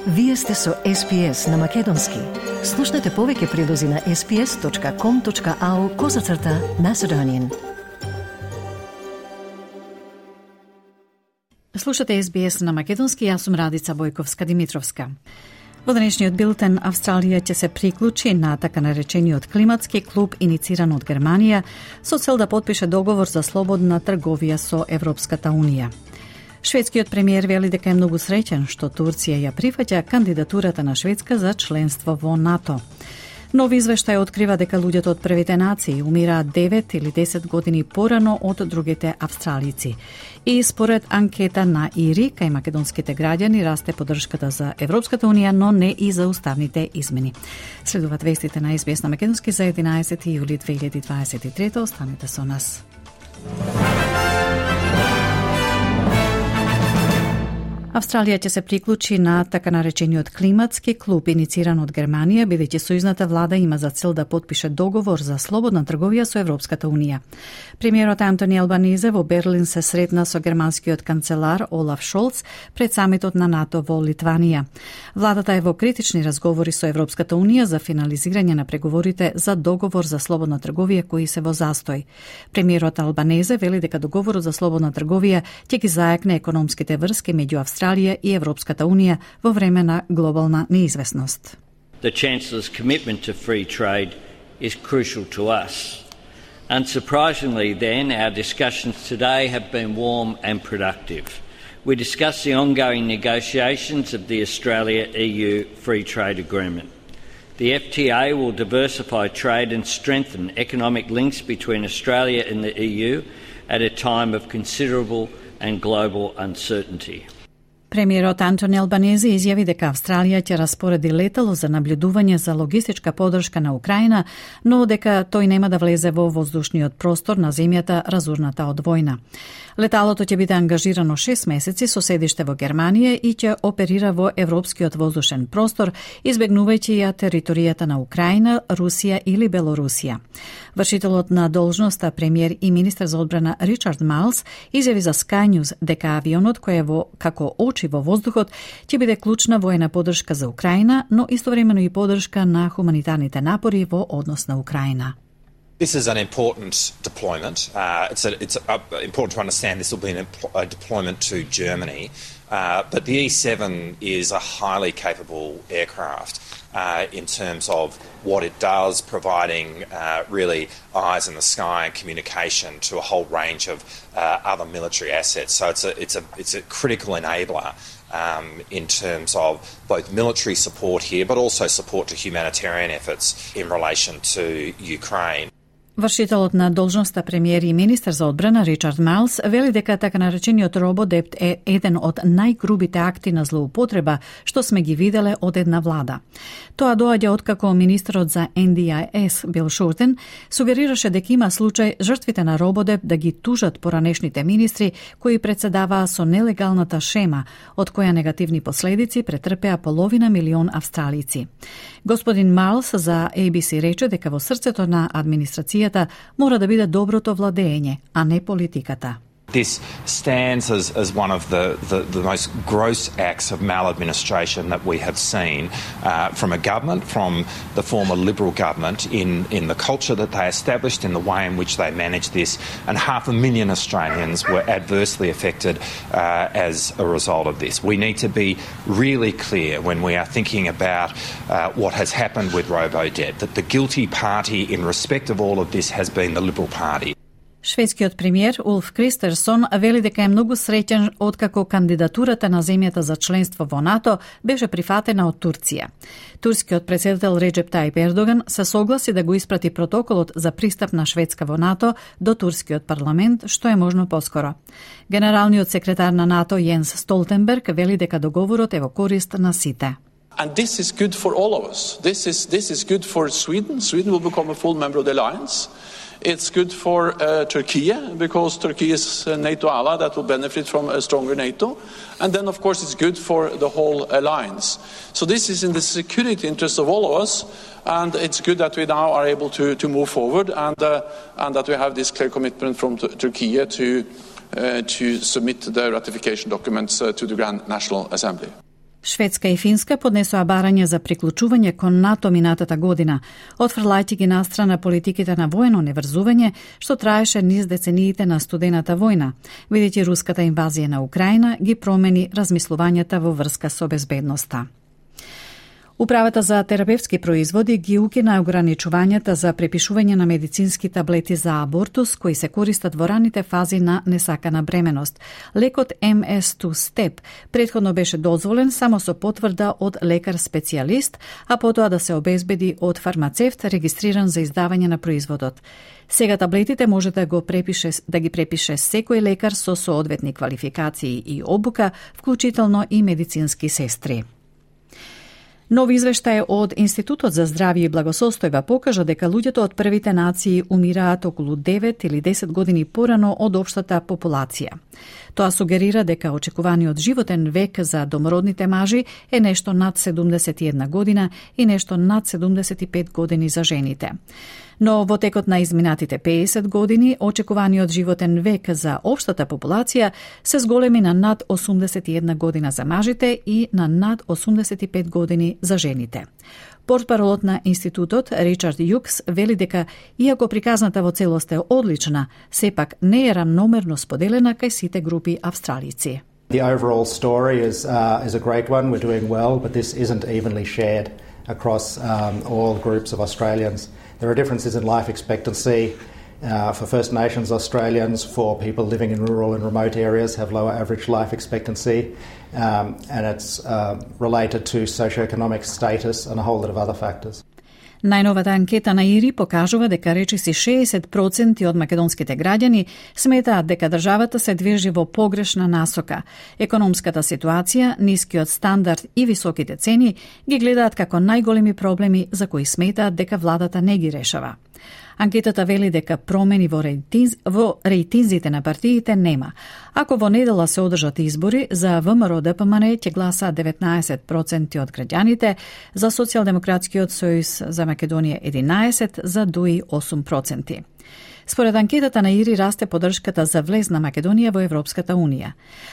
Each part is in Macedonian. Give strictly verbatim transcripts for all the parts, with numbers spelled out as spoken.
Вие сте со Ес Би Ес на Македонски. Слушнете повеќе прилози на ес би ес точка ком точка ау козацрта Macedonian. Слушате Ес Би Ес на Македонски, јас сум Радица Бојковска-Димитровска. Во денешниот билтен Австралија ќе се приклучи на така наречениот климатски клуб инициран од Германија со цел да потпише договор за слободна трговија со Европската Унија. Шведскиот премиер вели дека е многу среќен што Турција ја прифаќа кандидатурата на Шведска за членство во НАТО. Нови извештај открива дека луѓето од првите нации умираат девет или десет години порано од другите австралици. И според анкета на ИРИ, кај македонските граѓани расте поддршката за Европската Унија, но не и за уставните измени. Следуваат вестите на Ес Би Ес на Македонски за единаесети јули две илјади дваесет и трета. Останете со нас. Австралија ќе се приклучи на така наречениот климатски клуб инициран од Германија, бидејќи сојузната влада има за цел да потпише договор за слободна трговија со Европската Унија. Премиерот Антони Албанизе во Берлин се сретна со германскиот канцелар Олаф Шолц пред самитот на НАТО во Литванија. Владата е во критични разговори со Европската Унија за финализирање на преговорите за договор за слободна трговија кои се во застој. Премиерот Албанезе вели дека договорот за слободна трговија ќе ги зајакне економските врски меѓу Австралија Австралија и Европската Унија во време на глобална неизвестност. The Chancellor's commitment to free trade is crucial to us. Unsurprisingly then, our discussions today have been warm and productive. We discussed the ongoing negotiations of the Australia-E U Free Trade Agreement. The F T A will diversify trade and strengthen economic links between Australia and the E U at a time of considerable and global uncertainty. Премиерот Антони Албанези изјави дека Австралија ќе распореди летало за наблюдување за логистичка поддршка на Украина, но дека тој нема да влезе во воздушниот простор на земјата разурната од војна. Леталото ќе биде ангажирано шест месеци со седиште во Германија и ќе оперира во европскиот воздушен простор, избегнувајќи ја територијата на Украина, Русија или Белорусија. Вршителот на должноста премиер и министер за одбрана Ричард Майлс изјави за Sky News дека авионот кој е во како очи во воздухот ќе биде клучна воена поддршка за Украина, но истовремено и поддршка на хуманитарните напори во однос на Украина. This is an important deployment. Uh, it's a, it's a, uh, important to understand this will be an, a deployment to Germany, uh, but the E seven is a highly capable aircraft uh, in terms of what it does, providing uh, really eyes in the sky and communication to a whole range of uh, other military assets. So it's a, it's a, it's a critical enabler um, in terms of both military support here, but also support to humanitarian efforts in relation to Ukraine. Вршителот на должноста премиер и министер за одбрана Ричард Майлс вели дека така наречениот рободепт е еден од најгрубите акти на злоупотреба што сме ги виделе од една влада. Тоа доаѓа откако министерот за Ен Ди Ай Ес Бил Шортен сугерираше дека има случај жртвите на рободепт да ги тужат поранешните министри кои председаваа со нелегалната шема, од која негативни последици претрпеа половина милион австралици. Господин Майлс за Ей Би Си рече дека во срцето на администрацијата мора да биде доброто владење, а не политиката. This stands as, as one of the, the, the most gross acts of maladministration that we have seen uh, from a government, from the former Liberal government, in, in the culture that they established, in the way in which they managed this, and half a million Australians were adversely affected uh, as a result of this. We need to be really clear when we are thinking about uh, what has happened with Robodebt, that the guilty party in respect of all of this has been the Liberal Party. Шведскиот премиер Улф Кристерсон вели дека е многу среќен откако кандидатурата на земјата за членство во НАТО беше прифатена од Турција. Турскиот претседател Реджеп Тајип Ердоган се согласи да го испрати протоколот за пристап на Шведска во НАТО до турскиот парламент, што е можно поскоро. Генералниот секретар на НАТО Јенс Столтенберг вели дека договорот е во корист на сите. And this is good for all of us. This is this is good for Sweden. Sweden will become a full member of the alliance. It's good for uh, Turkey, because Turkey is a NATO ally that will benefit from a stronger NATO. And then, of course, it's good for the whole alliance. So this is in the security interest of all of us, and it's good that we now are able to, to move forward, and, uh, and that we have this clear commitment from t- Turkey to, uh, to submit the ratification documents uh, to the Grand National Assembly. Шведска и Финска поднесоа барање за приклучување кон НАТО минатата година, отфрлајќи ги настрана политиките на воено неврзување, што траеше низ децениите на студената војна, бидејќи руската инвазија на Украина ги промени размислувањата во врска со безбедноста. Управата за терапевтски производи ги укина ограничувањата за препишување на медицински таблети за абортус кои се користат во раните фази на несакана бременост. Лекот Ем Ес две Степ претходно беше дозволен само со потврда од лекар-специјалист, а потоа да се обезбеди од фармацевт регистриран за издавање на производот. Сега таблетите може да го препише да ги препише секој лекар со соодветни квалификации и обука, вклучително и медицински сестри. Нов извештај од Институтот за здравје и благосостојба покажа дека луѓето од првите нации умираат околу девет или десет години порано од општата популација. Тоа сугерира дека очекуваниот животен век за домородните мажи е нешто над седумдесет и една година и нешто над седумдесет и пет години за жените. Но во текот на изминатите педесет години, очекуваниот животен век за општата популација се зголеми на над осумдесет и една година за мажите и на над осумдесет и пет години за жените. Портпаролот на институтот Ричард Јукс вели дека, иако приказната во целост е одлична, сепак не е рамномерно споделена кај сите групи австралици. The overall story is uh, is a great one. We're doing well, but this isn't evenly shared across um, all groups of Australians. There are differences in life expectancy. Uh, for First Nations Australians, for people living in rural and remote areas, have lower average life expectancy, um, and it's uh, related to socioeconomic status and a whole lot of other factors. Најновата анкета на ИРИ покажува дека речиси шеесет проценти од македонските граѓани сметаат дека државата се движи во погрешна насока. Економската ситуација, нискиот стандард и високите цени ги гледаат како најголеми проблеми за кои сметаат дека владата не ги решава. Анкетата вели дека промени во, рейтинз, во рейтинзите на партиите нема. Ако во недела се одржат избори, за ВМРО-ДПМН ќе гласа деветнаесет проценти од граѓаните, за Социјалдемократскиот сојуз за Македонија единаесет, за ДУИ осум проценти. Според анкетата на ИРИ расте поддршката за влез на Македонија во Европската Унија.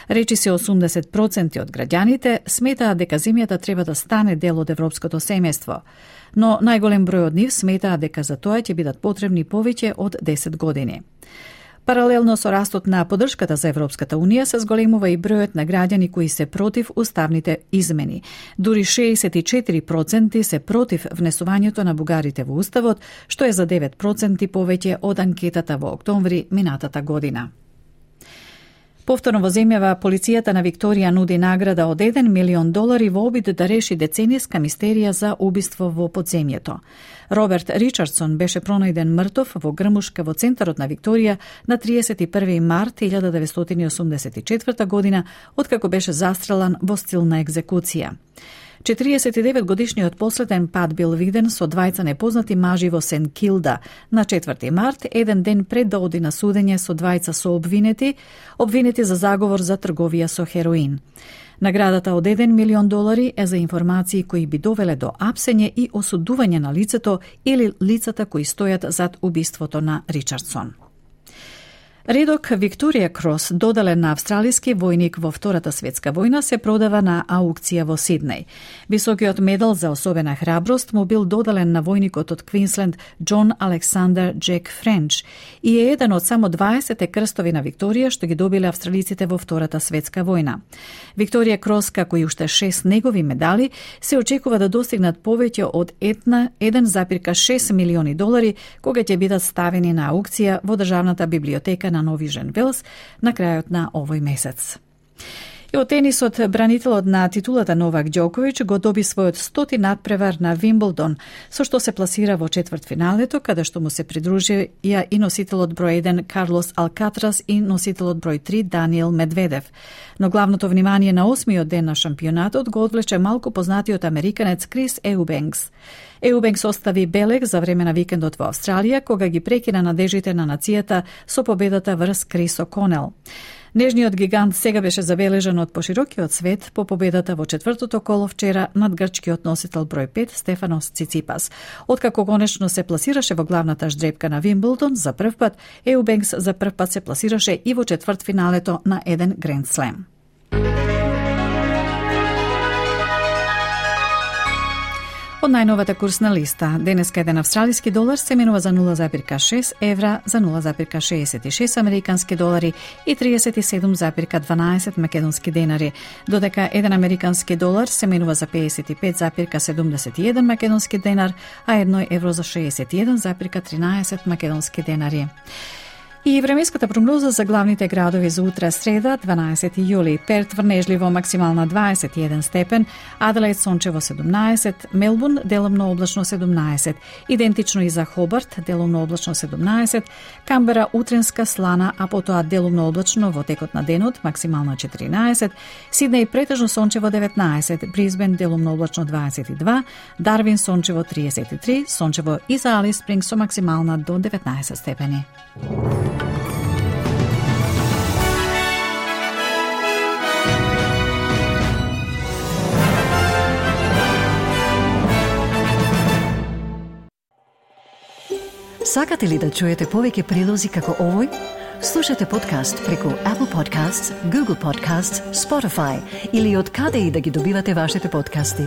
Речиси осумдесет проценти од граѓаните сметаат дека земјата треба да стане дел од европското семејство, но најголем број од нив сметаат дека за тоа ќе бидат потребни повеќе од десет години. Паралелно со растот на поддршката за Европската Унија се зголемува и бројот на граѓани кои се против уставните измени. Дури шеесет и четири проценти се против внесувањето на бугарите во уставот, што е за девет проценти повеќе од анкетата во октомври минатата година. Повторно во земјава, полицијата на Викторија нуди награда од еден милион долари во обид да реши децениска мистерија за убиство во подземјето. Роберт Ричардсон беше пронајден мртов во грмушка во центарот на Викторија на триесет и први март илјада деветстотини осумдесет и четврта година, откако беше застрелан во стил на екзекуција. четириесет и девет годишниот последен пат бил виден со двајца непознати мажи во Сент Килда на четврти март, еден ден пред да оди на судење со двајца сообвинети, обвинети за заговор за трговија со хероин. Наградата од еден милион долари е за информации кои би довеле до апсење и осудување на лицето или лицата кои стојат зад убиството на Ричардсон. Редок Викторија Крос, доделен на австралиски војник во Втората светска војна, се продава на аукција во Сиднеј. Високиот медал за особена храброст му бил доделен на војникот од Квинсленд Џон Александер Джек Френч и е еден од само дваесет крстови на Викторија што ги добиле австралиците во Втората светска војна. Викторија Крос, како и уште шест негови медали, се очекува да достигнат повеќе од еден зарез шест милиони долари кога ќе бидат ставени на аукција во Државната библиотека на Нови Женвелс на крајот на овој месец. И од тенисот, бранителот на титулата Новак Ѓоковиќ го доби својот стоти надпревар на Вимблдон, со што се пласира во четвртфиналето, каде што му се придружија и носителот број еден Карлос Алкатрас и носителот број три Даниел Медведев. Но главното внимание на осмиот ден на шампионатот го одвлече малку познатиот американец Крис Еубенкс. Еубенкс остави белег за време на викендот во Австралија, кога ги прекина надежите на нацијата со победата врз Крис О'Конел. Нежниот гигант сега беше забележан од поширокиот свет по победата во четвртото коло вчера над грчкиот носител број пет Стефанос Циципас. Откако конечно се пласираше во главната ждрепка на Вимблдон за прв пат, Еубенкс за прв пат се пласираше и во четвртфиналето на еден Гранд Слем. Од најновата курсна листа, денеска еден австралиски долар се менува за нула зарка шест евра, за нула зарка шеесет и шест американски долари и триесет и седум зарка дванаесет македонски денари, додека еден американски долар се менува за педесет и пет зарка седумдесет и еден македонски денар, а едно евро за шеесет и еден зарка тринаесет македонски денари. И временската прогноза за главните градови за утре среда, дванаесети јули. Перт врнежливо максимална дваесет и еден степен, Аделаид сончево седумнаесет, Мелбурн делумно облачно седумнаесет, идентично и за Хобарт делумно облачно седумнаесет, Камбера утренска слана, а потоа делумно облачно во текот на денот максимална четиринаесет, Сиднеј претежно сончево деветнаесет, Брисбен делумно облачно дваесет и два, Дарвин сончево триесет и три, сончево и за Алис Спрингс со максимална до деветнаесет степени. Сакате ли да чуете повеќе прилози како овој? Слушате подкаст преку Apple Podcasts, Google Podcasts, Spotify или од каде и да ги добивате вашите подкасти.